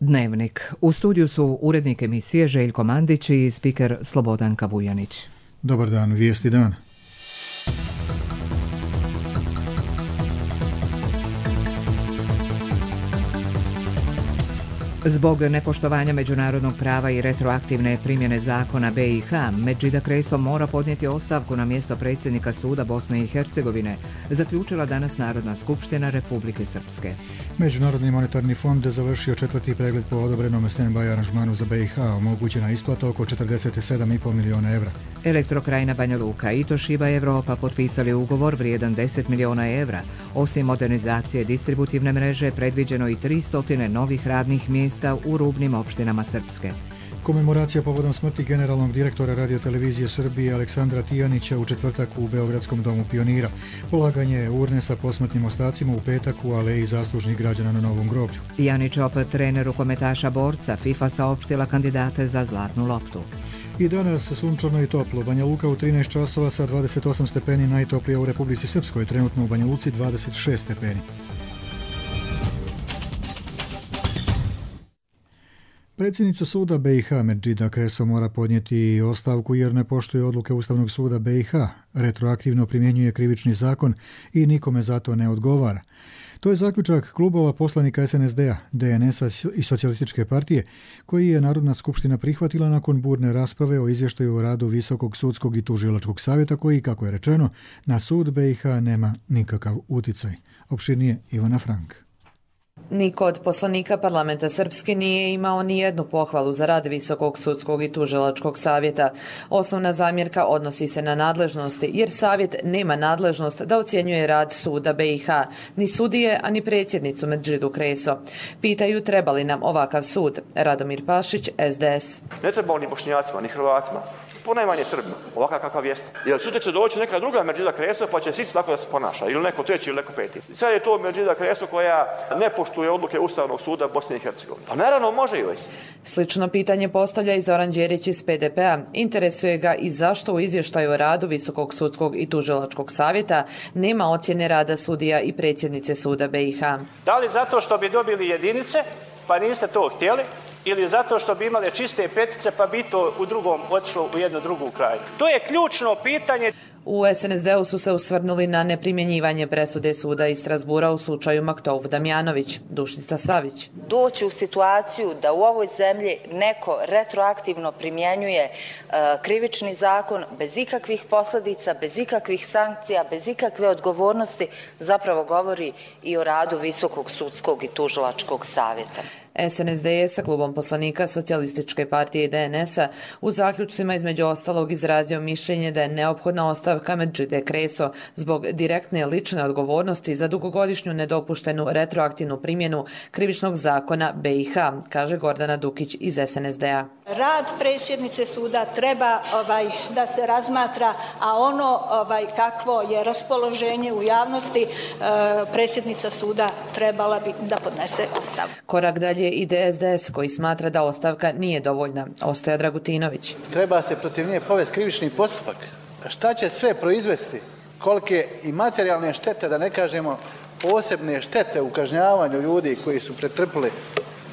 Dnevnik. U studiju su urednik emisije Željko Mandić i spiker Slobodanka Vujanić. Dobar dan, vijesti dan. Zbog nepoštovanja međunarodnog prava i retroaktivne primjene zakona BiH, Medžida Kreso mora podnijeti ostavku na mjesto predsjednika suda Bosne i Hercegovine, zaključila danas Narodna skupština Republike Srpske. Međunarodni monetarni fond je završio 4. pregled po odobrenom stand-by aranžmanu za BiH, omogućena isplata oko 47,5 milijuna evra. Elektrokrajina Banja Luka i Toshiba Europa potpisali ugovor vrijedan 10 milijuna evra. Osim modernizacije distributivne mreže, predviđeno i 300 novih radnih mjesta u rubnim opštinama Srpske. Komemoracija povodom smrti generalnog direktora radiotelevizije Srbije Aleksandra Tijanića u četvrtak u Beogradskom domu pionira. Polaganje urne sa posmrtnim ostacima u petak u aleji zaslužnih građana na Novom groblju. Janić Opet, trener rukometaša borca, FIFA saopštila kandidate za zlatnu loptu. I danas sunčano i toplo. Banja Luka u 13 časova sa 28 stepeni, najtoplija u Republici Srpskoj, trenutno u Banja Luci 26 stepeni. Predsjednica suda BiH Medžida Kreso mora podnijeti ostavku jer ne poštuje odluke Ustavnog suda BiH, retroaktivno primjenjuje krivični zakon i nikome za to ne odgovara. To je zaključak klubova poslanika SNSD-a, DNS-a i Socijalističke partije, koji je Narodna skupština prihvatila nakon burne rasprave o izvještaju o radu Visokog sudskog i tužilačkog savjeta koji, kako je rečeno, na sud BiH nema nikakav uticaj. Opširnije Ivana Frank. Niko od poslanika parlamenta Srpske nije imao ni jednu pohvalu za rad Visokog sudskog i tužilačkog savjeta. Osnovna zamjerka odnosi se na nadležnosti, jer savjet nema nadležnost da ocjenjuje rad suda BiH, ni sudije, a ni predsjednicu Medžidu Kreso. Pitaju treba li nam ovakav sud. Radomir Pašić, SDS. Ne treba ni Bošnjacima, ni Hrvatima. Ponajmanje Srbima, ovakav kakav jeste. Jer sutra će doći neka druga Medžida Kreso pa će svi tako da se ponaša, ili neko treći ili neko peti. Sad je to Medžida Kreso koja ne poštuje odluke Ustavnog suda Bosne i Hercegovine. Pa naravno može joj se. Slično pitanje postavlja i Zoran Đerić iz PDP-a. Interesuje ga i zašto u izvještaju o radu Visokog sudskog i tužilačkog savjeta nema ocjene rada sudija i predsjednice suda BiH. Da li zato što bi dobili jedinice, pa niste to htjeli, ili zato što bi imale čiste petice pa bi to u drugom otišlo u jednu drugu kraju? To je ključno pitanje. U SNSD-u su se usvrnuli na neprimjenjivanje presude suda iz Strasbura u slučaju Maktouf Damjanović. Dušica Savić. Doći u situaciju da u ovoj zemlji neko retroaktivno primjenjuje krivični zakon bez ikakvih posljedica, bez ikakvih sankcija, bez ikakve odgovornosti, zapravo govori i o radu Visokog sudskog i tužilačkog savjeta. SNSD je sa klubom poslanika Socijalističke partije i DNS-a u zaključcima između ostalog izrazio mišljenje da je neophodna ostavka Medžide Kreso zbog direktne lične odgovornosti za dugogodišnju nedopuštenu retroaktivnu primjenu krivičnog zakona BiH, kaže Gordana Dukić iz SNSD-a. Rad predsjednice suda treba da se razmatra, a ono kakvo je raspoloženje u javnosti, predsjednica suda trebala bi da podnese ostavku. Korak dalje ide SDS koji smatra da ostavka nije dovoljna. Ostoja Dragutinović. Treba se protiv nje povesti krivični postupak. Šta će sve proizvesti? Kolike i materijalne štete, da ne kažemo posebne štete u kažnjavanju ljudi koji su pretrpili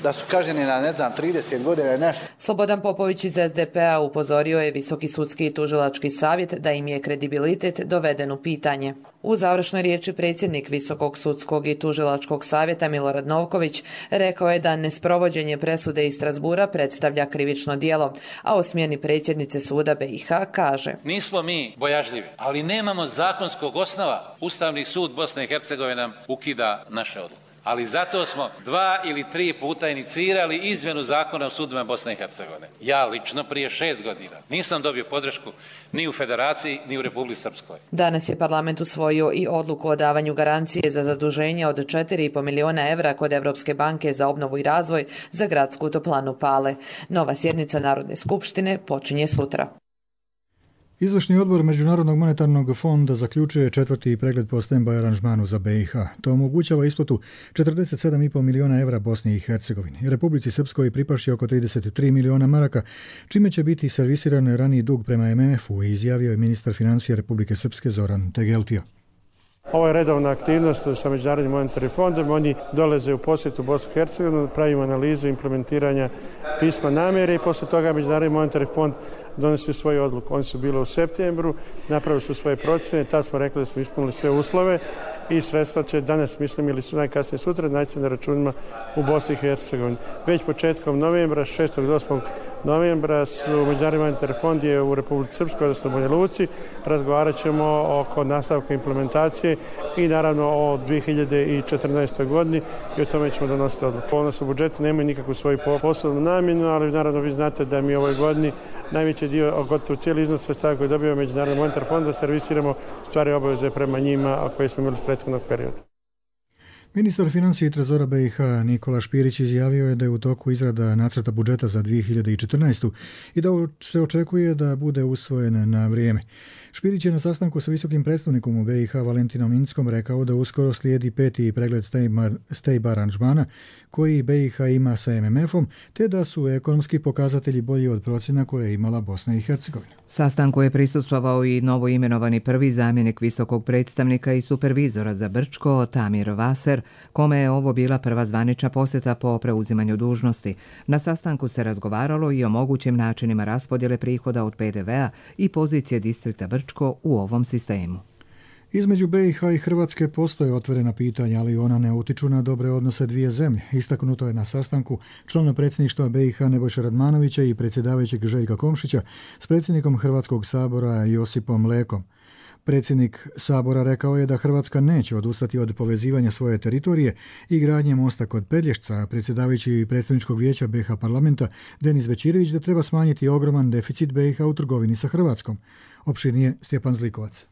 da su kažnjeni na, 30 godina i nešto. Slobodan Popović iz SDP-a upozorio je Visoki sudski i tužilački savjet da im je kredibilitet doveden u pitanje. U završnoj riječi predsjednik Visokog sudskog i tužilačkog savjeta Milorad Novković rekao je da nesprovođenje presude iz Strasbura predstavlja krivično djelo, a o smjeni predsjednice suda BiH kaže: Nismo mi bojažljivi, ali nemamo zakonskog osnova. Ustavni sud Bosne i Hercegovine nam ukida naše odluke. Ali zato smo 2 ili 3 puta inicirali izmjenu zakona o sudovima Bosne i Hercegovine. Ja lično prije 6 godina nisam dobio podršku ni u Federaciji ni u Republici Srpskoj. Danas je parlament usvojio i odluku o davanju garancije za zaduženje od 4,5 milijuna evra kod Evropske banke za obnovu i razvoj za gradsku toplanu Pale. Nova sjednica Narodne skupštine počinje sutra. Izvršni odbor Međunarodnog monetarnog fonda zaključuje 4. pregled po stand-by aranžmanu za BiH. To omogućava isplatu 47,5 milijuna evra Bosni i Hercegovini. Republici Srpskoj pripašće oko 33 milijuna maraka, čime će biti servisiran raniji dug prema MMF-u, izjavio je ministar financija Republike Srpske Zoran Tegeltija. Ovo je redovna aktivnost sa Međunarodnim monetarnim fondom. Oni dolaze u posjetu Bosnu i Hercegovinu, pravimo analizu implementiranja pisma namjere i poslije toga Međunarodni monetarni fond donosi svoju odluku. Oni su bili u septembru, napravili su svoje procjene, tad smo rekli da smo ispunili sve uslove i sredstva će danas, mislim, ili su najkasnije sutra, naći se na računima u Bosni i Hercegovini. Već početkom novembra, 6. do 8. novembra su Međunarodni monetarni fond je u Republici Srpskoj, odnosno Banja Luci. Razgovarat ćemo oko nastavka implementacije i naravno o 2014. godini i o tome ćemo donositi odluku. Odnosno u budžetu nemaju nikakvu svoju poslovnu namjenu, ali naravno vi znate da mi u ovoj godini najveći dio, gotovo cijeli iznos sredstava koji dobijamo Međunarodni monetarni fond, da servisiramo stvari obaveze prema njima koje smo imali s prethodnog perioda. Ministar financija i trezora BiH Nikola Špirić izjavio je da je u toku izrada nacrta budžeta za 2014. i da se očekuje da bude usvojen na vrijeme. Špirić je na sastanku sa visokim predstavnikom u BiH Valentinom Inckom rekao da uskoro slijedi 5. pregled STEIB aranžmana koji BiH ima sa MMF-om, te da su ekonomski pokazatelji bolji od procjena koje je imala Bosna i Hercegovina. Sastanku je prisustvovao i novoimenovani prvi zamjenik visokog predstavnika i supervizora za Brčko, Tamir Vaser, kome je ovo bila prva zvanična posjeta po preuzimanju dužnosti. Na sastanku se razgovaralo i o mogućim načinima raspodjele prihoda od PDV-a i pozicije distrikta Brčko u ovom sistemu. Između BiH i Hrvatske postoje otvorena pitanja, ali ona ne utiču na dobre odnose dvije zemlje. Istaknuto je na sastanku člana predsjedništva BiH Nebojše Radmanovića i predsjedavajućeg Željka Komšića s predsjednikom Hrvatskog sabora Josipom Lekom. Predsjednik sabora rekao je da Hrvatska neće odustati od povezivanja svoje teritorije i gradnje mosta kod Pelješca, a predsjedavajući predstavničkog vijeća BiH parlamenta Denis Bećirević da treba smanjiti ogroman deficit BiH u trgovini sa Hrvatskom. Opširnije Stjepan Zlikovac.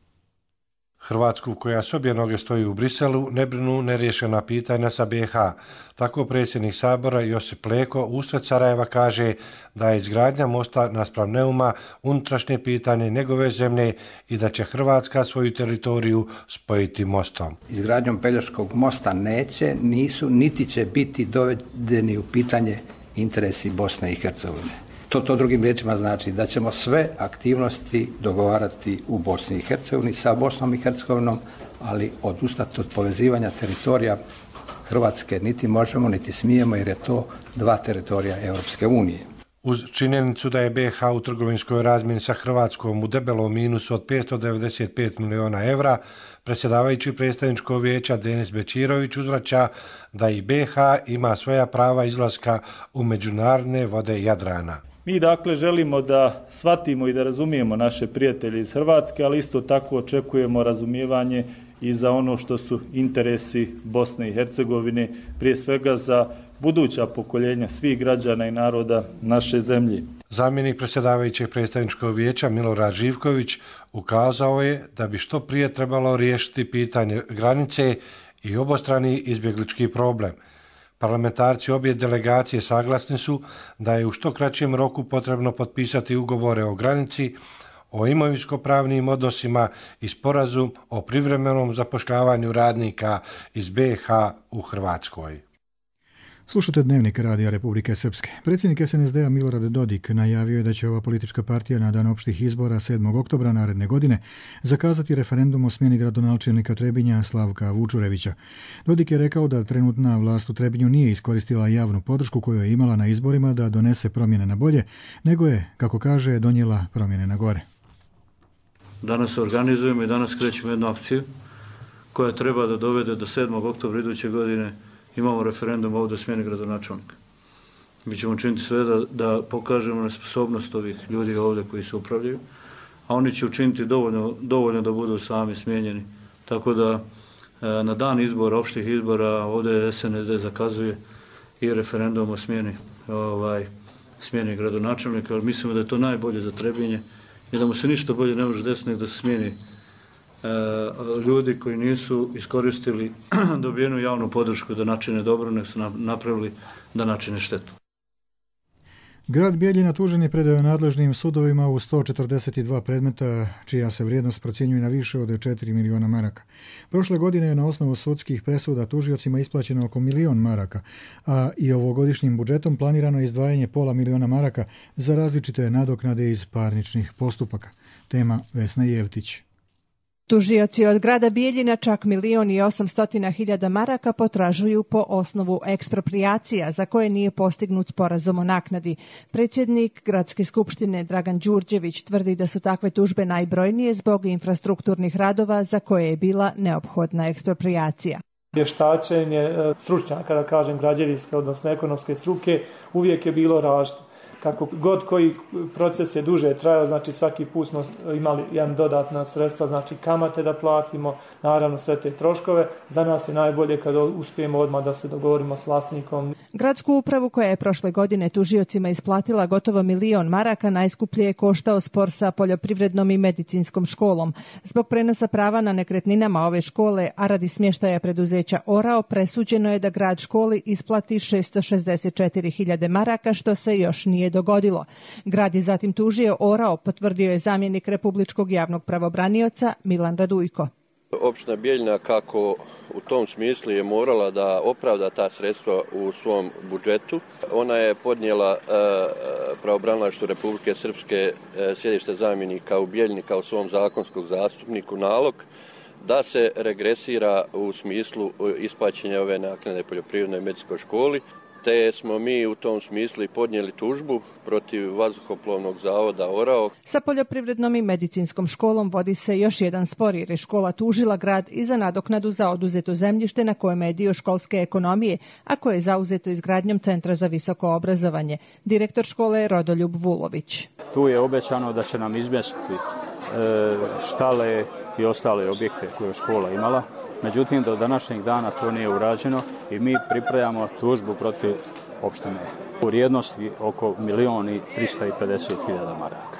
Hrvatsku, koja s obje noge stoji u Briselu, ne brinu neriješena pitanja sa BiH. Tako predsjednik sabora Josip Leko usred Sarajeva kaže da je izgradnja mosta naspram Neuma unutrašnje pitanje njegove zemlje i da će Hrvatska svoju teritoriju spojiti mostom. Izgradnjom Pelješkog mosta nisu, niti će biti dovedeni u pitanje interesi Bosne i Hercegovine. To drugim riječima znači da ćemo sve aktivnosti dogovarati u Bosni i Hercegovini sa Bosnom i Hercegovinom, ali odustati od povezivanja teritorija Hrvatske niti možemo, niti smijemo, jer je to dva teritorija Europske unije. Uz činjenicu da je BiH u trgovinskoj razmjeni sa Hrvatskom u debelom minusu od 595 miliona evra, predsjedavajući predstavničkog vijeća Denis Bećirović uzvraća da i BiH ima svoja prava izlaska u međunarodne vode Jadrana. Mi dakle želimo da shvatimo i da razumijemo naše prijatelje iz Hrvatske, ali isto tako očekujemo razumijevanje i za ono što su interesi Bosne i Hercegovine, prije svega za buduća pokoljenja svih građana i naroda naše zemlje. Zamjenik predsjedavajućeg predstavničkog vijeća Milorad Živković ukazao je da bi što prije trebalo riješiti pitanje granice i obostrani izbjeglički problem. Parlamentarci obje delegacije saglasni su da je u što kraćem roku potrebno potpisati ugovore o granici, o imovinsko-pravnim odnosima i sporazum o privremenom zapošljavanju radnika iz BiH u Hrvatskoj. Slušate Dnevnik Radija Republike Srpske. Predsjednik SNSD-a Milorad Dodik najavio je da će ova politička partija na dan opštih izbora 7. oktobra naredne godine zakazati referendum o smjeni gradonačelnika Trebinja Slavka Vučurevića. Dodik je rekao da trenutna vlast u Trebinju nije iskoristila javnu podršku koju je imala na izborima da donese promjene na bolje, nego je, kako kaže, donijela promjene na gore. Danas se organizujemo i danas krećemo jednu akciju koja treba da dovede do 7. oktobra iduće godine. Imamo referendum ovdje o smjeni gradonačelnika. Mi ćemo učiniti sve da pokažemo nesposobnost ovih ljudi ovdje koji se upravljaju, a oni će učiniti dovoljno da budu sami smijenjeni. Tako da na dan izbora, opštih izbora, ovdje SNSD zakazuje i referendum o smjeni gradonačelnika, ali mislimo da je to najbolje za Trebinje i da mu se ništa bolje ne može desiti nego da se smijeni ljudi koji nisu iskoristili dobijenu javnu podršku da načine dobro, nek su napravili da načine štetu. Grad Bijeljina tužen je predao nadležnim sudovima u 142 predmeta, čija se vrijednost procjenjuje na više od 4 miliona maraka. Prošle godine je na osnovu sudskih presuda tužiocima isplaćeno oko 1 milion maraka, a i ovogodišnjim budžetom planirano je izdvajanje pola miliona maraka za različite nadoknade iz parničnih postupaka. Tema Vesna Jevtić. Tužioci od grada Bijeljina čak 1.800.000 maraka potražuju po osnovu eksproprijacija za koje nije postignut sporazum o naknadi. Predsjednik Gradske skupštine Dragan Đurđević tvrdi da su takve tužbe najbrojnije zbog infrastrukturnih radova za koje je bila neophodna eksproprijacija. Vještačenje stručnjaka, da kažem građevinske, odnosno ekonomske struke, uvijek je bilo različito. Kako god koji proces je duže trajao, znači svaki put smo imali jedan dodatna sredstva, znači kamate da platimo, naravno sve te troškove. Za nas je najbolje kada uspijemo odmah da se dogovorimo s vlasnikom. Gradsku upravu koja je prošle godine tužiocima isplatila gotovo 1.000.000 maraka najskuplje je koštao spor sa poljoprivrednom i medicinskom školom. Zbog prenosa prava na nekretninama ove škole, a radi smještaja preduzeća Orao, presuđeno je da grad školi isplati 664.000 maraka, što se još nije dogodilo. Grad je zatim tužio Orao, potvrdio je zamjenik republičkog javnog pravobranioca Milan Radujko. Opština Bijeljina kako u tom smislu je morala da opravda ta sredstva u svom budžetu. Ona je podnijela pravobranilaštvu Republike Srpske sjedište zamjenika u Bijeljini kao svom zakonskom zastupniku nalog da se regresira u smislu isplaćenja ove naknade poljoprivrednoj i medicinskoj školi. Te smo mi u tom smislu podnijeli tužbu protiv vazduhoplovnog zavoda Orao. Sa poljoprivrednom i medicinskom školom vodi se još jedan spor jer je škola tužila grad i za nadoknadu za oduzeto zemljište na kojem je dio školske ekonomije, a koje je zauzeto izgradnjom Centra za visoko obrazovanje. Direktor škole je Rodoljub Vulović. Tu je obećano da će nam izmjestiti štale i ostale objekte koje je škola imala. Međutim, do današnjeg dana to nije urađeno i mi pripremamo tužbu protiv opštine u vrijednosti oko 1.350.000 maraka.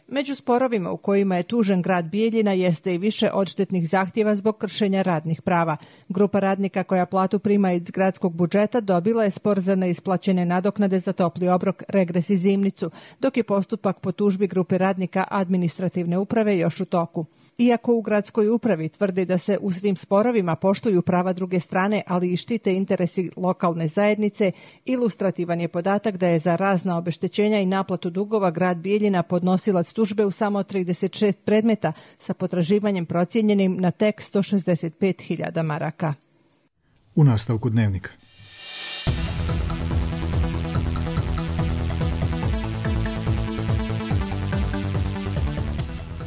Među sporovima u kojima je tužen grad Bijeljina jeste i više odštetnih zahtjeva zbog kršenja radnih prava. Grupa radnika koja platu prima iz gradskog budžeta dobila je spor za neisplaćene nadoknade za topli obrok, regres i zimnicu, dok je postupak po tužbi grupe radnika administrativne uprave još u toku. Iako u gradskoj upravi tvrdi da se u svim sporovima poštuju prava druge strane, ali i štite interesi lokalne zajednice, ilustrativan je podatak da je za razna obeštećenja i naplatu dugova grad Bijeljina podnosilac tužbe u samo 36 predmeta sa potraživanjem procijenjenim na tek 165.000 maraka. U nastavku dnevnika.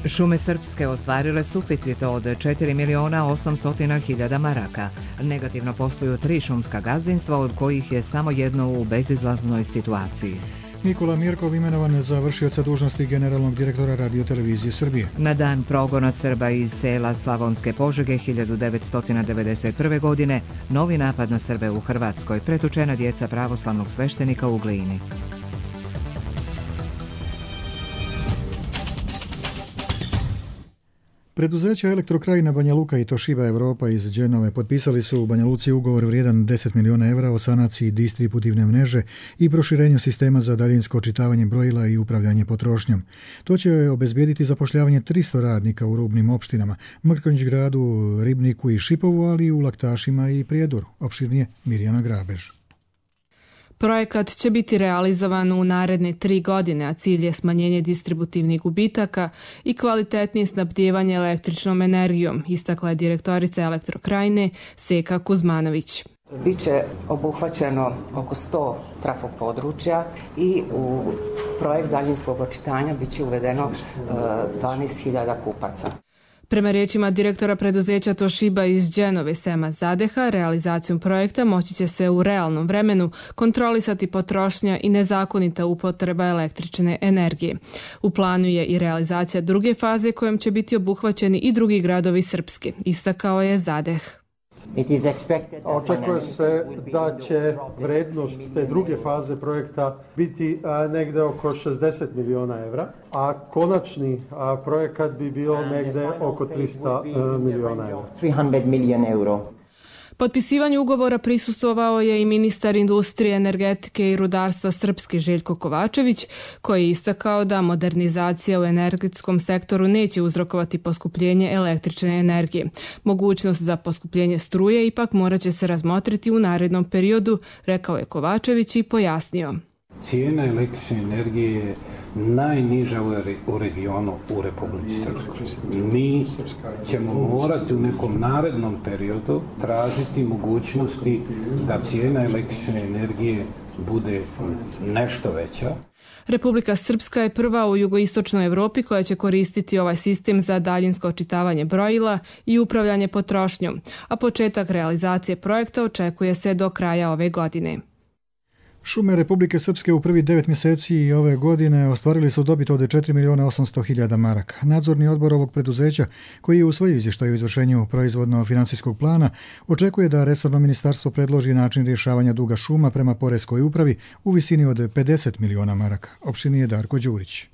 Šume Srpske ostvarile suficit od 4.800.000 maraka. Negativno posluju 3 šumska gazdinstva, od kojih je samo jedno u bezizlaznoj situaciji. Nikola Mirkov imenovan za vršioca dužnosti generalnog direktora Radio-televizije Srbije. Na dan progona Srba iz sela Slavonske Požege 1991. godine novi napad na Srbe u Hrvatskoj, pretučena djeca pravoslavnog sveštenika u Glini. Preduzeća Elektrokrajina Banja Luka i Toshiba Europa iz Dženove potpisali su u Banja Luci ugovor vrijedan 10 milijuna evra o sanaciji distributivne mreže i proširenju sistema za daljinsko očitavanje brojila i upravljanje potrošnjom. To će obezbijediti zapošljavanje 300 radnika u rubnim opštinama, Mrkonjić gradu, Ribniku i Šipovu, ali i u Laktašima i Prijedoru. Opširnije Mirjana Grabež. Projekat će biti realizovan u naredne 3 godine, a cilj je smanjenje distributivnih gubitaka i kvalitetnije snabdijevanje električnom energijom, istakla je direktorica Elektrokrajine Seka Kuzmanović. Biće obuhvaćeno oko 100 trafo područja i u projekt daljinskog očitanja biće uvedeno 12.000 kupaca. Prema riječima direktora preduzeća Toshiba iz Dženove Sema Zadeha, realizacijom projekta moći će se u realnom vremenu kontrolisati potrošnja i nezakonita upotreba električne energije. U planu je i realizacija druge faze kojom će biti obuhvaćeni i drugi gradovi Srpske, istakao je Zadeh. Očekuje se da će vrednost te druge faze projekta biti negde oko 60 milijuna evra, a konačni projekat bi bio negde oko 300 milijuna evra. Potpisivanju ugovora prisustvovao je i ministar industrije, energetike i rudarstva Srpske Željko Kovačević, koji je istakao da modernizacija u energetskom sektoru neće uzrokovati poskupljenje električne energije. Mogućnost za poskupljenje struje ipak morat će se razmotriti u narednom periodu, rekao je Kovačević i pojasnio. Cijena električne energije je najniža u regionu u Republici Srpskoj. Mi ćemo morati u nekom narednom periodu tražiti mogućnosti da cijena električne energije bude nešto veća. Republika Srpska je prva u jugoistočnoj Evropi koja će koristiti ovaj sistem za daljinsko očitavanje brojila i upravljanje potrošnjom, a početak realizacije projekta očekuje se do kraja ove godine. Šume Republike Srpske u prvi 9 mjeseci ove godine ostvarili su dobit od 4.800.000 maraka. Nadzorni odbor ovog preduzeća, koji je u svoj izvještaj o izvršenju proizvodno-financijskog plana, očekuje da resorno ministarstvo predloži način rješavanja duga šuma prema poreskoj upravi u visini od 50 miliona maraka. Opštinije Darko Đurić.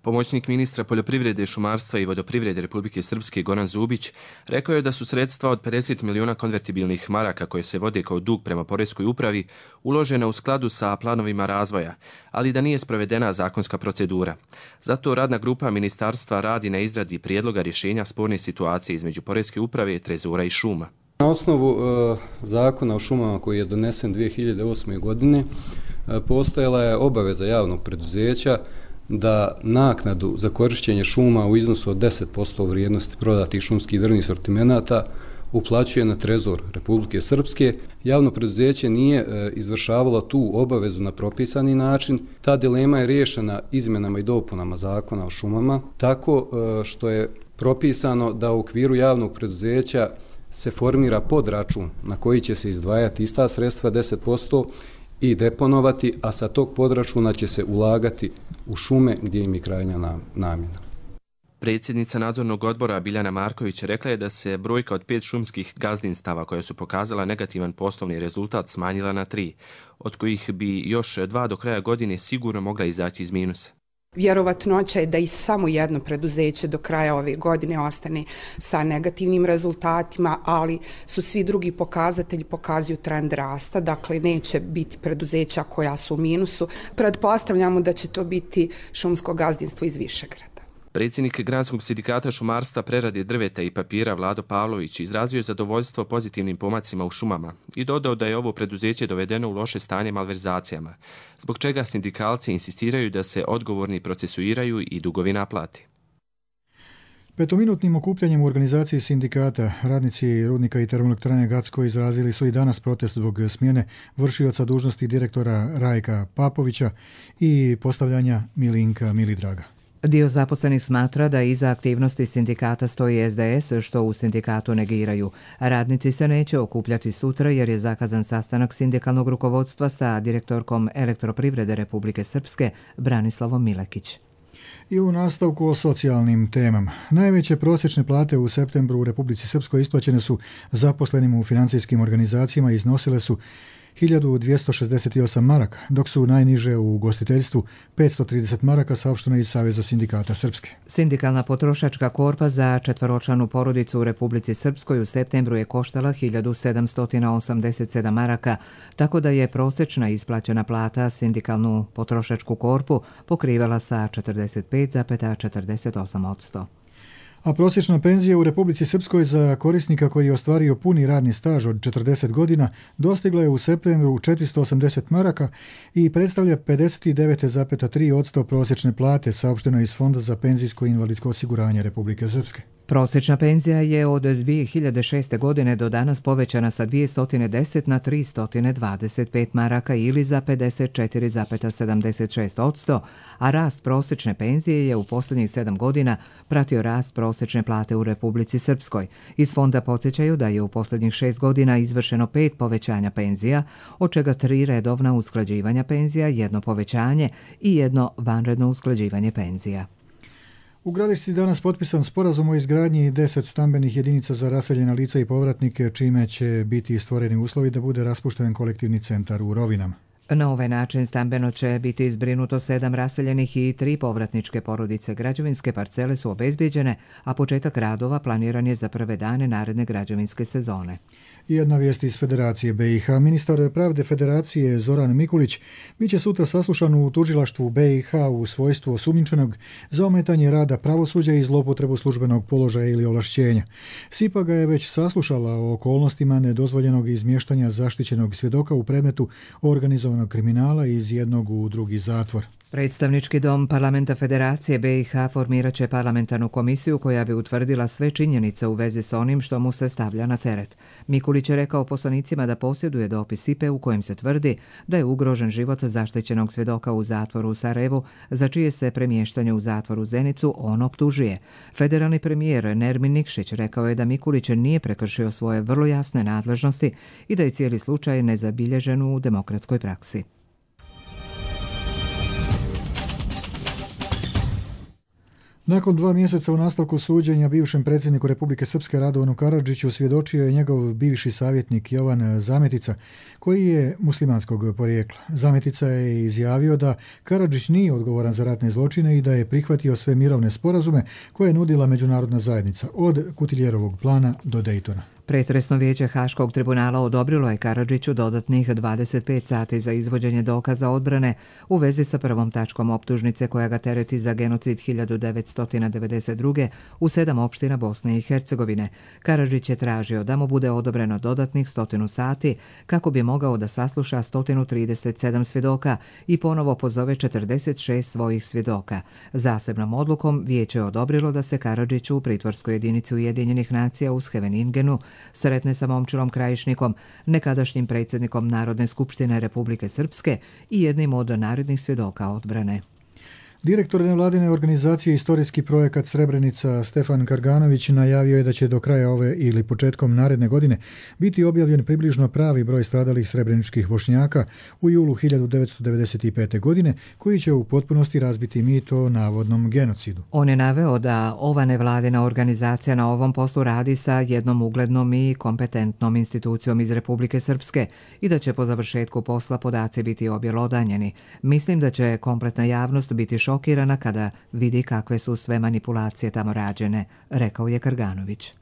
Pomoćnik ministra poljoprivrede, šumarstva i vodoprivrede Republike Srpske Goran Zubić rekao je da su sredstva od 50 miliona konvertibilnih maraka koje se vode kao dug prema poreskoj upravi uložena u skladu sa planovima razvoja, ali da nije sprovedena zakonska procedura. Zato radna grupa ministarstva radi na izradi prijedloga rješenja sporne situacije između poreske uprave, trezora i šuma. Na osnovu zakona o šumama koji je donesen 2008. godine postojala je obaveza javnog preduzeća da naknadu za korištenje šuma u iznosu od 10% vrijednosti prodatih šumskih drvnih sortimenata uplaćuje na trezor Republike Srpske. Javno preduzeće nije izvršavalo tu obavezu na propisani način. Ta dilema je riješena izmjenama i dopunama zakona o šumama, tako što je propisano da u okviru javnog preduzeća se formira podračun na koji će se izdvajati ista sredstva 10% i deponovati, a sa tog podračuna će se ulagati u šume gdje im je krajnja namjena. Predsjednica nadzornog odbora Biljana Marković rekla je da se brojka od 5 šumskih gazdinstava koja su pokazala negativan poslovni rezultat smanjila na 3, od kojih bi još 2 do kraja godine sigurno mogla izaći iz minusa. Vjerovatnoća je da i samo jedno preduzeće do kraja ove godine ostane sa negativnim rezultatima, ali su svi drugi pokazatelji pokazuju trend rasta, dakle neće biti preduzeća koja su u minusu. Pretpostavljamo da će to biti šumsko gazdinstvo iz Višegrada. Predsjednik Granskog sindikata šumarstva, prerade drveta i papira Vlado Pavlović izrazio je zadovoljstvo pozitivnim pomacima u šumama i dodao da je ovo preduzeće dovedeno u loše stanje malverzacijama, zbog čega sindikalci insistiraju da se odgovorni procesuiraju i dugovi naplate. Petominutnim okupljanjem u organizaciji sindikata radnici rudnika i termoelektrane Gacko izrazili su i danas protest zbog smjene vršioca dužnosti direktora Rajka Papovića i postavljanja Milinka Milidraga. Dio zaposlenih smatra da iza aktivnosti sindikata stoji SDS, što u sindikatu negiraju. Radnici se neće okupljati sutra jer je zakazan sastanak sindikalnog rukovodstva sa direktorkom Elektroprivrede Republike Srpske Branislavom Milekić. I u nastavku o socijalnim temama. Najveće prosječne plate u septembru u Republici Srpskoj isplaćene su zaposlenim u financijskim organizacijama i iznosile su 1268 maraka, dok su najniže u ugostiteljstvu 530 maraka, saopšteno iz Saveza sindikata Srpske. Sindikalna potrošačka korpa za četvoročlanu porodicu u Republici Srpskoj u septembru je koštala 1787 maraka, tako da je prosječna isplaćena plata sindikalnu potrošačku korpu pokrivala sa 45,48%. A prosječna penzija u Republici Srpskoj za korisnika koji je ostvario puni radni staž od 40 godina dostigla je u septembru 480 maraka i predstavlja 59,3% prosječne plate, saopšteno iz Fonda za penzijsko i invalidsko osiguranje Republike Srpske. Prosječna penzija je od 2006. godine do danas povećana sa 210 na 325 maraka ili za 54,76%, a rast prosječne penzije je u posljednjih 7 godina pratio rast prosječne plate u Republici Srpskoj. Iz fonda podsjećaju da je u posljednjih 6 godina izvršeno 5 povećanja penzija, od čega 3 redovna usklađivanja penzija, 1 povećanje i 1 vanredno usklađivanje penzija. U Gradišci danas potpisan sporazum o izgradnji 10 stambenih jedinica za raseljena lica i povratnike, čime će biti stvoreni uslovi da bude raspušten kolektivni centar u Rovinama. Na ovaj način stambeno će biti izbrinuto 7 raseljenih i 3 povratničke porodice. Građevinske parcele su obezbijeđene, a početak radova planiran je za prve dane naredne građevinske sezone. Jedna vijest iz Federacije BiH. Ministar pravde Federacije Zoran Mikulić biće sutra saslušan u tužilaštvu BiH u svojstvu osumnjičenog za ometanje rada pravosuđa i zloupotrebu službenog položaja ili ovlašćenja. SIPA ga je već saslušala o okolnostima nedozvoljenog izmještanja zaštićenog svjedoka u predmetu organizovanog kriminala iz jednog u drugi zatvor. Predstavnički dom Parlamenta Federacije BiH formirat će parlamentarnu komisiju koja bi utvrdila sve činjenice u vezi s onim što mu se stavlja na teret. Mikulić je rekao poslanicima da posjeduje dopis SIPE u kojem se tvrdi da je ugrožen život zaštićenog svjedoka u zatvoru u Sarajevu, za čije se premještanje u zatvor u Zenicu on optužuje. Federalni premijer Nermin Nikšić rekao je da Mikulić nije prekršio svoje vrlo jasne nadležnosti i da je cijeli slučaj nezabilježen u demokratskoj praksi. Nakon 2 mjeseca u nastavku suđenja bivšem predsjedniku Republike Srpske Radovanu Karadžiću svjedočio je njegov bivši savjetnik Jovan Zametica, koji je muslimanskog porijekla. Zametica je izjavio da Karadžić nije odgovoran za ratne zločine i da je prihvatio sve mirovne sporazume koje je nudila međunarodna zajednica, od Kutiljerovog plana do Dejtona. Pretresno vijeće Haškog tribunala odobrilo je Karadžiću dodatnih 25 sati za izvođenje dokaza odbrane u vezi sa prvom tačkom optužnice koja ga tereti za genocid 1992. u 7 opština Bosne i Hercegovine. Karadžić je tražio da mu bude odobreno dodatnih 100 sati kako bi mogao da sasluša 137 svjedoka i ponovo pozove 46 svojih svjedoka. Zasebnom odlukom vijeće je odobrilo da se Karadžiću u pritvorskoj jedinici Ujedinjenih nacija u Scheveningenu sretne sa Momčilom Krajišnikom, nekadašnjim predsjednikom Narodne skupštine Republike Srpske i jednim od narednih svjedoka odbrane. Direktor nevladine organizacije Istorijski projekat Srebrenica Stefan Karganović najavio je da će do kraja ove ili početkom naredne godine biti objavljen približno pravi broj stradalih srebreničkih Bošnjaka u julu 1995. godine, koji će u potpunosti razbiti mit o navodnom genocidu. On je naveo da ova nevladina organizacija na ovom poslu radi sa jednom uglednom i kompetentnom institucijom iz Republike Srpske i da će po završetku posla podaci biti objelodanjeni. Mislim da će kompletna javnost biti šokirana kada vidi kakve su sve manipulacije tamo rađene, rekao je Karganović.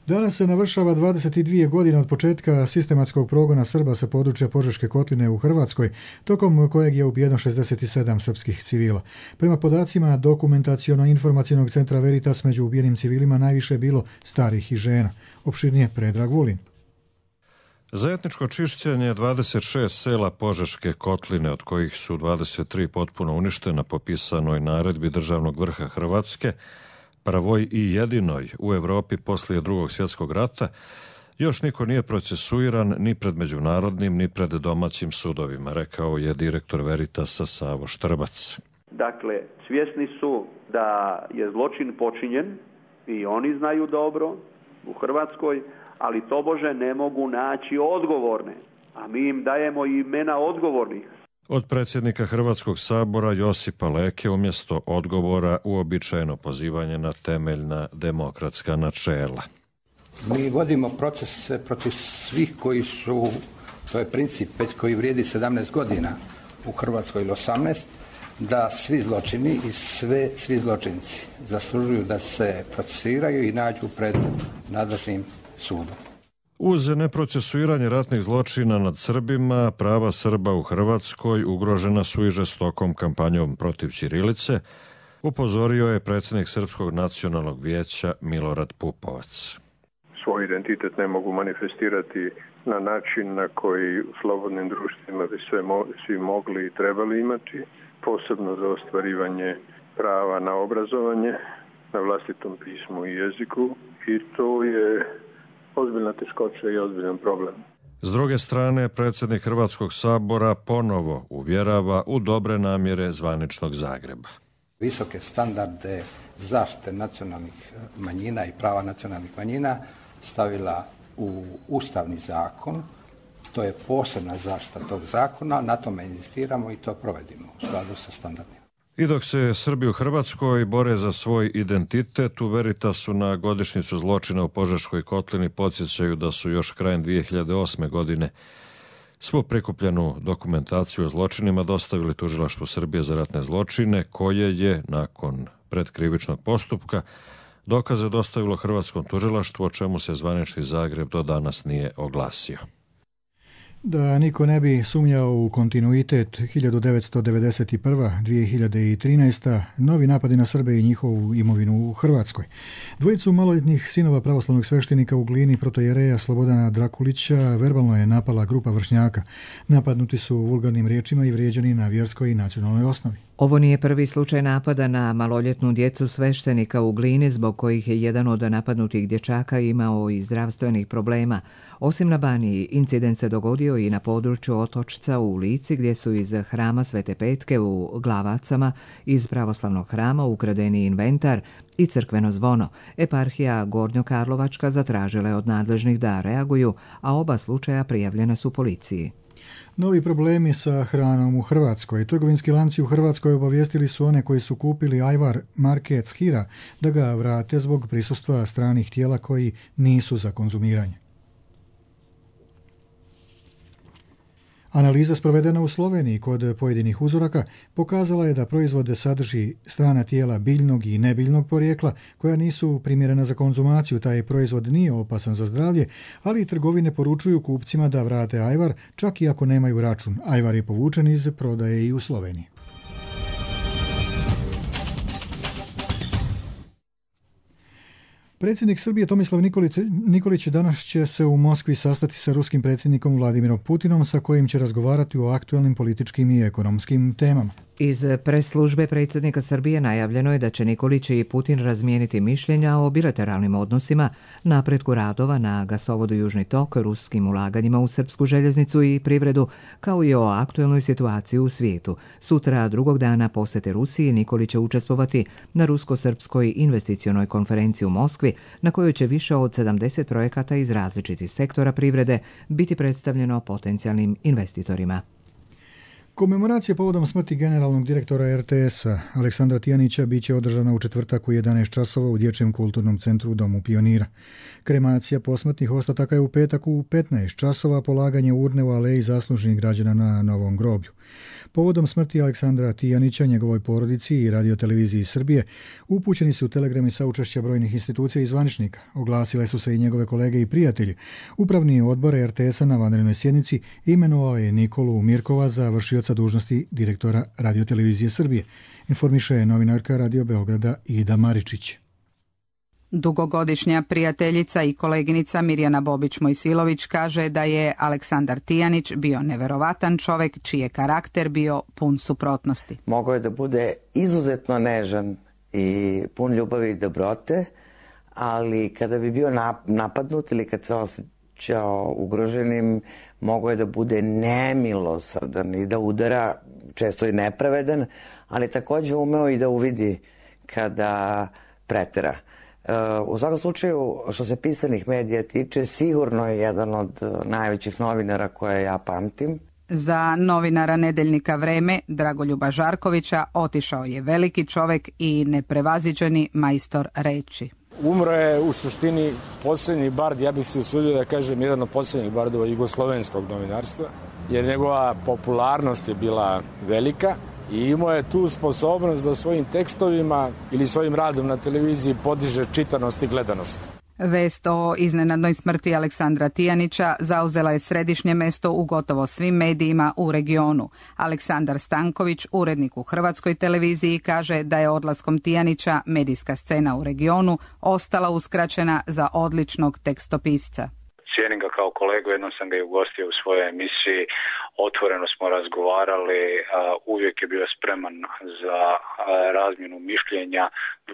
Danas se navršava 22 godine od početka sistematskog progona Srba sa područja Požeške kotline u Hrvatskoj, tokom kojeg je ubijeno 67 srpskih civila. Prema podacima Dokumentaciono-informacionog centra Veritas, među ubijenim civilima najviše je bilo starih i žena. Opširnije Predrag Vulin. Za etničko čišćenje 26 sela Požeške kotline, od kojih su 23 potpuno uništena po pisanoj naredbi državnog vrha Hrvatske, prvoj i jedinoj u Evropi poslije Drugog svjetskog rata, još niko nije procesuiran ni pred međunarodnim ni pred domaćim sudovima, rekao je direktor Veritasa Savo Štrbac. Dakle, svjesni su da je zločin počinjen i oni znaju dobro u Hrvatskoj, ali tobože ne mogu naći odgovorne, a mi im dajemo imena odgovornih. Od predsjednika Hrvatskog sabora Josipa Leke umjesto odgovora uobičajeno pozivanje na temeljna demokratska načela. Mi vodimo proces protiv svih koji su, to je princip već koji vrijedi 17 godina u Hrvatskoj ili 18, da svi zločini i svi zločinci zaslužuju da se procesuiraju i nađu pred nadležnim sudom. Uz neprocesuiranje ratnih zločina nad Srbima, prava Srba u Hrvatskoj ugrožena su i žestokom kampanjom protiv ćirilice, upozorio je predsjednik Srpskog nacionalnog vijeća Milorad Pupovac. Svoj identitet ne mogu manifestirati na način na koji u slobodnim društvima bi svi mogli i trebali imati, posebno za ostvarivanje prava na obrazovanje, na vlastitom pismu i jeziku, i to je ozbiljna teškoća i ozbiljan problem. S druge strane, predsjednik Hrvatskog sabora ponovo uvjerava u dobre namjere zvaničnog Zagreba. Visoke standarde zaštite nacionalnih manjina i prava nacionalnih manjina stavila u Ustavni zakon. To je posebna zaštita tog zakona, na tome inzistiramo i to provedimo u skladu sa standardima. I dok se Srbi u Hrvatskoj bore za svoj identitet, u Veritasu na godišnjicu zločina u Požeškoj kotlini podsjećaju da su još krajem 2008. godine svu prikupljenu dokumentaciju o zločinima dostavili Tužilaštvu Srbije za ratne zločine, koje je nakon predkrivičnog postupka Dokaze dostavilo hrvatskom tužilaštvu, o čemu se zvanični Zagreb do danas nije oglasio. Da niko ne bi sumnjao u kontinuitet 1991-2013, novi napadi na Srbe i njihovu imovinu u Hrvatskoj. Dvojicu maloljetnih sinova pravoslavnog sveštenika u Glini protojereja Slobodana Drakulića verbalno je napala grupa vršnjaka. Napadnuti su vulgarnim riječima i vrijeđani na vjerskoj i nacionalnoj osnovi. Ovo nije prvi slučaj napada na maloljetnu djecu sveštenika u Glini, zbog kojih je jedan od napadnutih dječaka imao i zdravstvenih problema. Osim na Baniji, incident se dogodio i na području Otočca u Lici, gdje su iz hrama Svete Petke u Glavacama iz pravoslavnog hrama ukradeni inventar i crkveno zvono. Eparhija Gornjokarlovačka zatražila je od nadležnih da reaguju, a oba slučaja prijavljena su policiji. Novi problemi sa hranom u Hrvatskoj. Trgovinski lanci u Hrvatskoj obavijestili su one koji su kupili ajvar marke Hira da ga vrate zbog prisustva stranih tijela koji nisu za konzumiranje. Analiza sprovedena u Sloveniji kod pojedinih uzoraka pokazala je da proizvode sadrži strana tijela biljnog i nebiljnog porijekla koja nisu primjerena za konzumaciju. Taj proizvod nije opasan za zdravlje, ali trgovine poručuju kupcima da vrate ajvar čak i ako nemaju račun. Ajvar je povučen iz prodaje i u Sloveniji. Predsjednik Srbije Tomislav Nikolić danas će se u Moskvi sastati sa ruskim predsjednikom Vladimirom Putinom, sa kojim će razgovarati o aktualnim političkim i ekonomskim temama. Iz pres službe predsjednika Srbije najavljeno je da će Nikolić i Putin razmijeniti mišljenja o bilateralnim odnosima, napretku radova na gasovodu Južni tok, ruskim ulaganjima u srpsku željeznicu i privredu, kao i o aktualnoj situaciji u svijetu. Sutra, drugog dana posjete Rusiji, Nikolić će učestvovati na rusko-srpskoj investicionoj konferenciji u Moskvi, na kojoj će više od 70 projekata iz različitih sektora privrede biti predstavljeno potencijalnim investitorima. Komemoracija povodom smrti generalnog direktora RTS-a Aleksandra Tijanića biće održana u četvrtak u 11 časova u Dječjem kulturnom centru u Domu Pionira. Kremacija posmrtnih ostataka je u petak u 15 časova, polaganje urne u aleji zaslužnih građana na Novom groblju. Povodom smrti Aleksandra Tijanića, njegovoj porodici i radioteleviziji Srbije upućeni su telegrami sa učešća brojnih institucija i zvaničnika. Oglasile su se i njegove kolege i prijatelji. Upravni odbor RTS-a na vanrednoj sjednici imenovao je Nikolu Mirkova za vršioca dužnosti direktora radiotelevizije Srbije. Informiše novinarka Radio Beograda Ida Maričić. Dugogodišnja prijateljica i koleginica Mirjana Bobić-Mojsilović kaže da je Aleksandar Tijanić bio neverovatan čovjek čiji je karakter bio pun suprotnosti. Mogao je da bude izuzetno nežan i pun ljubavi i dobrote, ali kada bi bio napadnut ili kad se osjećao ugroženim, mogao je da bude nemilosrdan i da udara, često i nepravedan, ali također umeo i da uvidi kada pretera. U svakom slučaju, što se pisanih medija tiče, sigurno je jedan od najvećih novinara koje ja pamtim. Za novinara nedeljnika Vreme, Dragoljuba Žarkovića, otišao je veliki čovjek i neprevaziđeni majstor reči. Umro je u suštini posljednji bard, ja bih se usudio da kažem jedan od posljednjih bardova jugoslovenskog novinarstva, jer njegova popularnost je bila velika. I imao je tu sposobnost da svojim tekstovima ili svojim radom na televiziji podiže čitanost i gledanost. Vest o iznenadnoj smrti Aleksandra Tijanića zauzela je središnje mesto u gotovo svim medijima u regionu. Aleksandar Stanković, urednik u Hrvatskoj televiziji, kaže da je odlaskom Tijanića medijska scena u regionu ostala uskraćena za odličnog tekstopisca. Cijenim ga kao kolegu, jednom sam ga i ugostio u svojoj emisiji, otvoreno smo razgovarali, uvijek je bio spreman za razmjenu mišljenja,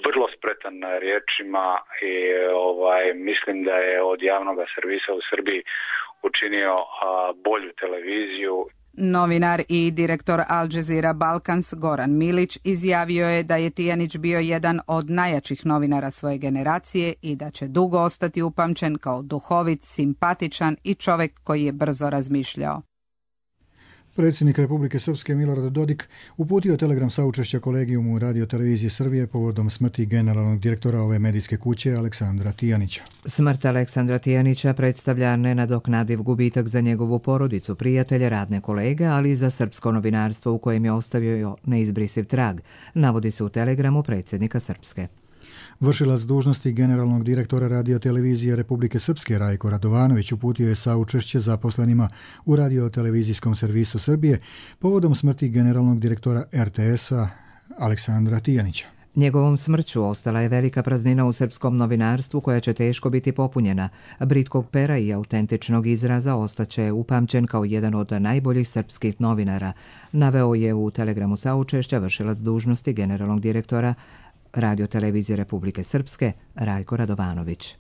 vrlo spretan na riječima i mislim da je od javnog servisa u Srbiji učinio bolju televiziju. Novinar i direktor Al Jazeera Balkans Goran Milić izjavio je da je Tijanić bio jedan od najjačih novinara svoje generacije i da će dugo ostati upamćen kao duhovit, simpatičan i čovjek koji je brzo razmišljao. Predsjednik Republike Srpske Milorad Dodik uputio telegram saučešća kolegijumu radiotelevizije Srbije povodom smrti generalnog direktora ove medijske kuće Aleksandra Tijanića. Smrt Aleksandra Tijanića predstavlja nenadoknadiv gubitak za njegovu porodicu, prijatelje, radne kolege, ali i za srpsko novinarstvo u kojem je ostavio neizbrisiv trag, navodi se u telegramu predsjednika Srpske. Vršilac dužnosti generalnog direktora radiotelevizije Republike Srpske Rajko Radovanović uputio je saučešće zaposlenima u radiotelevizijskom servisu Srbije povodom smrti generalnog direktora RTS-a Aleksandra Tijanića. Njegovom smrću ostala je velika praznina u srpskom novinarstvu koja će teško biti popunjena. Britkog pera i autentičnog izraza ostaće upamćen kao jedan od najboljih srpskih novinara, naveo je u telegramu saučešća vršilac dužnosti generalnog direktora radiotelevizije Republike Srpske Rajko Radovanović.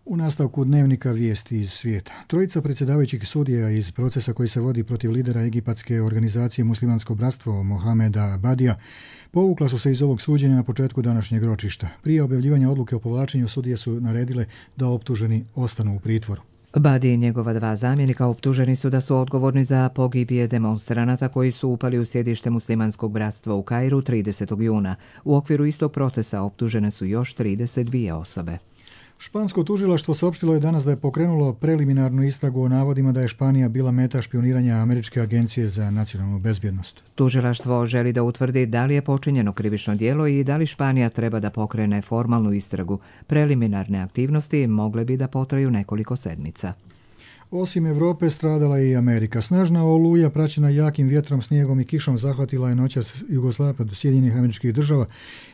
U nastavku dnevnika vijesti iz svijeta. Trojica predsjedavajućih sudija iz procesa koji se vodi protiv lidera egipatske organizacije Muslimansko bratstvo Mohameda Badija povukla su se iz ovog suđenja na početku današnjeg ročišta. Prije objavljivanja odluke o povlačenju sudije su naredile da optuženi ostanu u pritvoru. Badi i njegova 2 zamjenika optuženi su da su odgovorni za pogibije demonstranata koji su upali u sjedište Muslimanskog bratstva u Kairu 30. juna. U okviru istog procesa optužene su još 32 osobe. Špansko tužilaštvo saopštilo je danas da je pokrenulo preliminarnu istragu o navodima da je Španija bila meta špioniranja Američke agencije za nacionalnu bezbjednost. Tužilaštvo želi da utvrdi da li je počinjeno krivično djelo i da li Španija treba da pokrene formalnu istragu. Preliminarne aktivnosti mogle bi da potraju nekoliko sedmica. Osim Evrope stradala je i Amerika. Snažna oluja praćena jakim vjetrom, snijegom i kišom zahvatila je noćas jugozapad Sjedinjenih Američkih Država,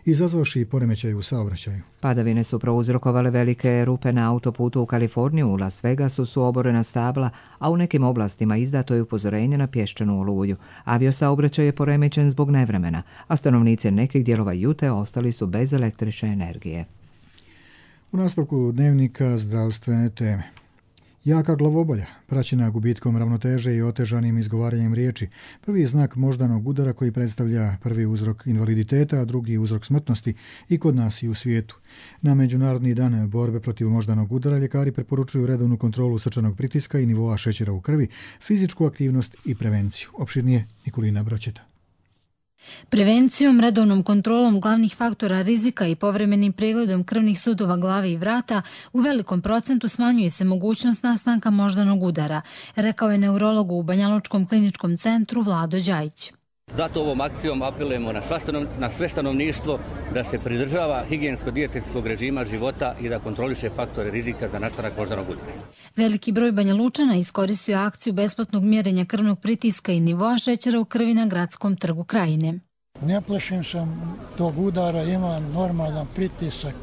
izazvavši poremećaj u saobraćaju. Padavine su prouzrokovale velike rupe na autoputu u Kaliforniju. U Las Vegasu su oborena stabla, a u nekim oblastima izdato je upozorenje na pješčanu oluju. Aviosaobraćaj je poremećen zbog nevremena, a stanovnici nekih dijelova Jute ostali su bez električne energije. U nastavku dnevnika zdravstvene teme. Jaka glavobolja, praćena gubitkom ravnoteže i otežanim izgovaranjem riječi, prvi je znak moždanog udara koji predstavlja prvi uzrok invaliditeta, a drugi uzrok smrtnosti i kod nas i u svijetu. Na Međunarodni dan borbe protiv moždanog udara ljekari preporučuju redovnu kontrolu srčanog pritiska i nivoa šećera u krvi, fizičku aktivnost i prevenciju. Opširnije Nikolina Bročeta. Prevencijom, redovnom kontrolom glavnih faktora rizika i povremenim pregledom krvnih sudova glave i vrata u velikom procentu smanjuje se mogućnost nastanka moždanog udara, rekao je neurolog u Banjalučkom kliničkom centru Vlado Đajić. Zato ovom akcijom apelujemo na sve stanovništvo da se pridržava higijensko-dijetetskog režima života i da kontroliše faktore rizika za nastanak moždanog udara. Veliki broj Banjalučana iskoristio akciju besplatnog mjerenja krvnog pritiska i nivoa šećera u krvi na Gradskom trgu Krajine. Ne plašim se tog udara, imam normalan pritisak,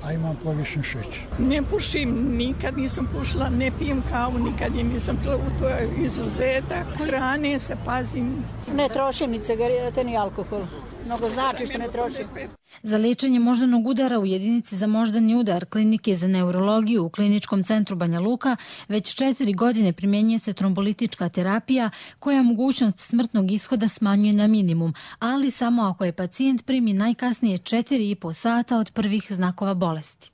a imam povišen šećer. Ne pušim, nikad nisam pušila, ne pijem kavu, nikad je nisam pila, to je izuzetak. Hrane se pazim. Ne trošim ni cigarete, ni alkohol. Mnogo znači što ne trošim. Za liječenje moždanog udara u jedinici za moždani udar Klinike za neurologiju u Kliničkom centru Banja Luka već 4 godine primjenjuje se trombolitička terapija koja mogućnost smrtnog ishoda smanjuje na minimum, ali samo ako je pacijent primi najkasnije 4,5 sata od prvih znakova bolesti.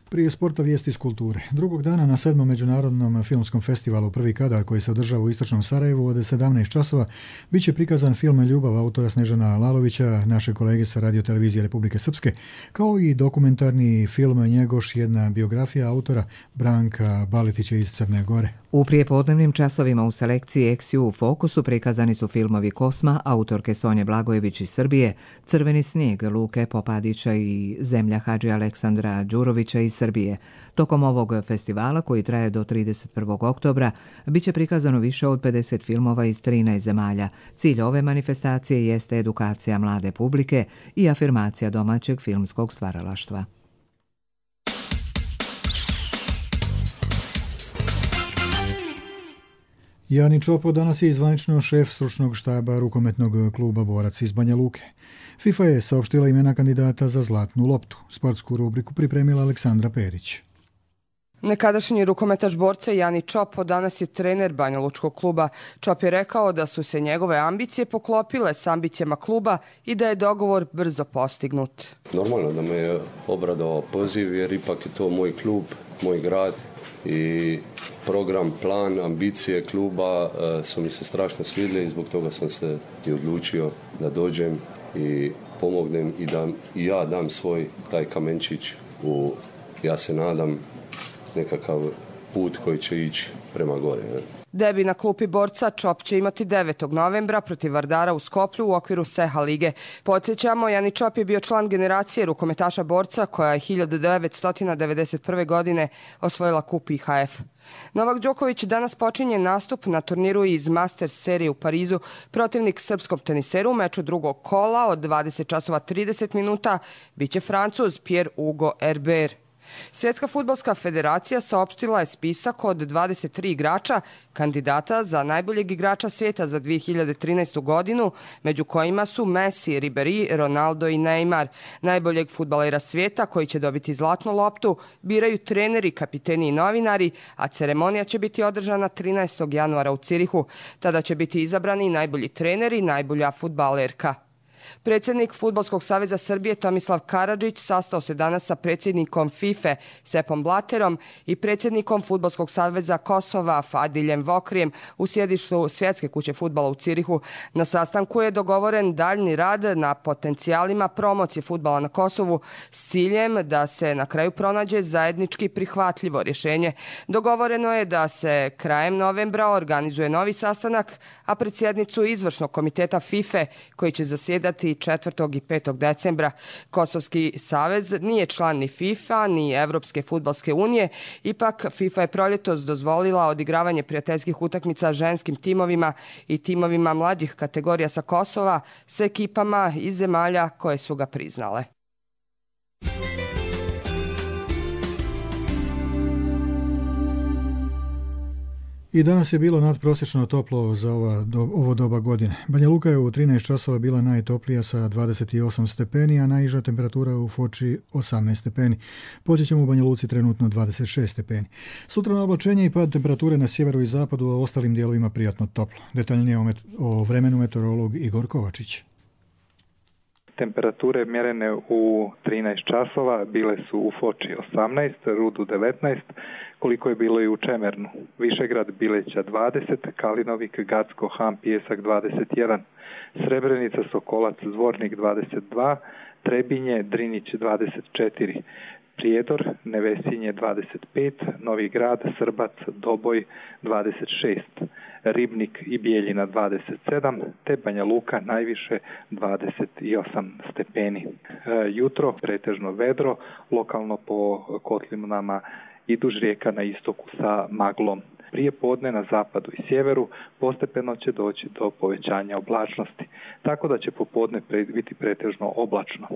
Prije sporta vijesti iz kulture. Drugog dana na 7. međunarodnom filmskom festivalu Prvi kadar koji se održava u istočnom Sarajevu od 17 časova biće prikazan film Ljubav autora Snežana Lalovića, naše kolege sa radiotelevizije Republike Srpske, kao i dokumentarni film Njegoš, jedna biografija autora Branka Baletića iz Crne Gore. U prijepodnevnim časovima u selekciji Eksiju u fokusu prikazani su filmovi Kosma, autorke Sonje Blagojević iz Srbije, Crveni snijeg Luke Popadića i Zemlja Hadži Aleksandra Đurovića iz Srbije. Tokom ovog festivala, koji traje do 31. oktobra, biće prikazano više od 50 filmova iz 13 zemalja. Cilj ove manifestacije jeste edukacija mlade publike i afirmacija domaćeg filmskog stvaralaštva. Jani Čopo danas je zvanično šef stručnog štaba rukometnog kluba Borac iz Banja Luke. FIFA je saopštila imena kandidata za Zlatnu loptu. Sportsku rubriku pripremila Aleksandra Perić. Nekadašnji rukometaš Borca Jani Čopo danas je trener Banjalučkog kluba. Čop je rekao da su se njegove ambicije poklopile s ambicijama kluba i da je dogovor brzo postignut. Normalno da me je obradovao poziv jer ipak je to moj klub, moj grad i program, plan, ambicije kluba su mi se strašno svidjeli i zbog toga sam se i odlučio da dođem i pomognem i da i ja dam svoj taj kamenčić u, ja se nadam, nekakav put koji će ići prema gore. Debi na klupi borca Čop će imati 9. novembra protiv Vardara u Skoplju u okviru Seha lige. Podsjećamo, Jani Čop je bio član generacije rukometaša borca koja je 1991. godine osvojila kup IHF. Novak Đoković danas počinje nastup na turniru iz Masters serije u Parizu. Protivnik srpskom teniseru u meču drugog kola od 20:30 minuta biće Francuz Pierre-Hugo Herbert. Svjetska fudbalska federacija saopštila je spisak od 23 igrača kandidata za najboljeg igrača svijeta za 2013. godinu, među kojima su Messi, Ribéry, Ronaldo i Neymar. Najboljeg fudbalera svijeta koji će dobiti zlatnu loptu biraju treneri, kapiteni i novinari, a ceremonija će biti održana 13. januara u Cirihu. Tada će biti izabrani najbolji treneri i najbolja fudbalerka. Predsjednik Fudbalskog saveza Srbije Tomislav Karadžić sastao se danas sa predsjednikom FIFA Sepom Blaterom i predsjednikom Fudbalskog saveza Kosova Fadiljem Vokrijem u sjedištu Svjetske kuće fudbala u Cirihu. Na sastanku je dogovoren daljni rad na potencijalima promocije fudbala na Kosovu s ciljem da se na kraju pronađe zajednički prihvatljivo rješenje. Dogovoreno je da se krajem novembra organizuje novi sastanak, a pred sjednicu izvršnog komiteta FIFA koji će zasjedati 4. i 5. decembra. Kosovski savez nije član ni FIFA ni Evropske fudbalske unije, ipak FIFA je proljetos dozvolila odigravanje prijateljskih utakmica ženskim timovima i timovima mlađih kategorija sa Kosova s ekipama iz zemalja koje su ga priznale. I danas je bilo nadprosječno toplo za ovo doba godine. Banja Luka je u 13 časova bila najtoplija sa 28 stepeni, a najniža temperatura u Foči 18 stepeni. Podsjećamo u Banja Luci trenutno 26 stepeni. Sutra na oblačenje i pad temperature na sjeveru i zapadu, a ostalim dijelovima prijatno toplo. Detaljnije o vremenu meteorolog Igor Kovačić. Temperature mjerene u 13 časova bile su u Foči 18, Rudu 19, koliko je bilo i u Čemernu. Višegrad, Bileća 20, Kalinovik, Gacko, Ham, Pijesak 21, Srebrenica, Sokolac, Zvornik 22, Trebinje, Drinić 24, Prijedor, Nevesinje 25, Novi Grad, Srbac, Doboj 26, Ribnik i Bijeljina 27, te Banja Luka najviše 28 stepeni. Jutro pretežno vedro, lokalno po kotlinama i duž rijeka na istoku sa maglom. Prije podne na zapadu i sjeveru postepeno će doći do povećanja oblačnosti, tako da će popodne biti pretežno oblačno.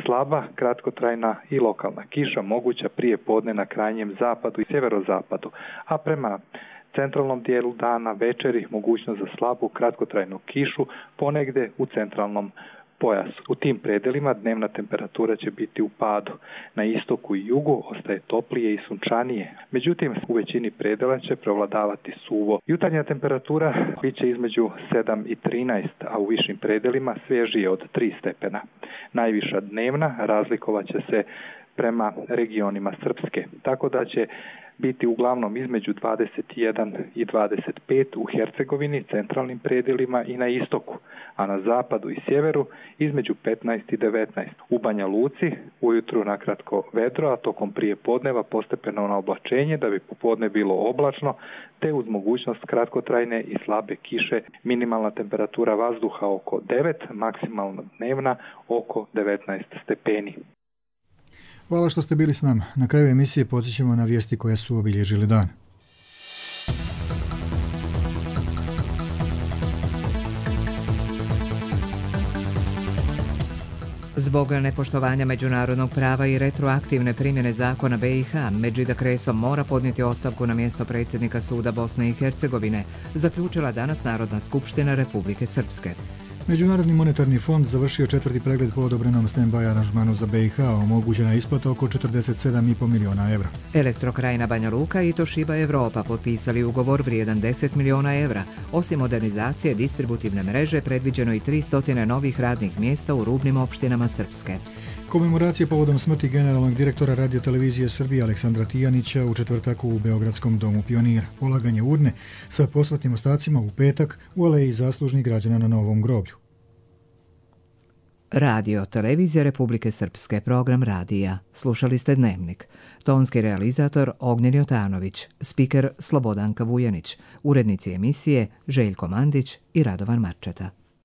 Slaba, kratkotrajna i lokalna kiša moguća prije podne na krajnjem zapadu i sjeverozapadu, a prema centralnom dijelu dana večeri mogućnost za slabu kratkotrajnu kišu ponegdje u centralnom pojasu. U tim predelima dnevna temperatura će biti u padu. Na istoku i jugu ostaje toplije i sunčanije. Međutim, u većini predela će prevladavati suvo. Jutarnja temperatura bit će između 7 i 13, a u višim predelima svježije od 3 stepena. Najviša dnevna razlikovat će se prema regionima Srpske, tako da će biti uglavnom između 21 i 25 u Hercegovini, centralnim predjelima i na istoku, a na zapadu i sjeveru između 15 i 19. U Banja Luci ujutru nakratko vedro, a tokom prije podneva postepeno na oblačenje da bi popodne bilo oblačno, te uz mogućnost kratkotrajne i slabe kiše, minimalna temperatura vazduha oko 9, maksimalna dnevna oko 19 stepeni. Hvala što ste bili s nama. Na kraju emisije podsjećamo na vijesti koje su obilježili dan. Zbog nepoštovanja međunarodnog prava i retroaktivne primjene zakona BiH, Medžida Kreso mora podnijeti ostavku na mjesto predsjednika suda Bosne i Hercegovine, zaključila danas Narodna skupština Republike Srpske. Međunarodni monetarni fond završio 4. pregled po odobrenom stand-by aranžmanu za BiH, omogućena isplata oko 47,5 milijuna evra. Elektrokrajina Banja Luka i Toshiba Europa potpisali ugovor vrijedan 10 milijuna evra. Osim modernizacije distributivne mreže, predviđeno i 300 novih radnih mjesta u rubnim opštinama Srpske. Komemoracije povodom smrti generalnog direktora radiotelevizije Srbije Aleksandra Tijanića u četvrtak u Beogradskom domu pionira. Polaganje urne sa posmrtnim ostacima u petak u aleji zaslužnih građana na Novom groblju. Radio, televizija Republike Srpske, program radija. Slušali ste Dnevnik. Tonski realizator Ognjen Jotanović, spiker Slobodanka Vujanić, urednici emisije Željko Mandić i Radovan Marčeta.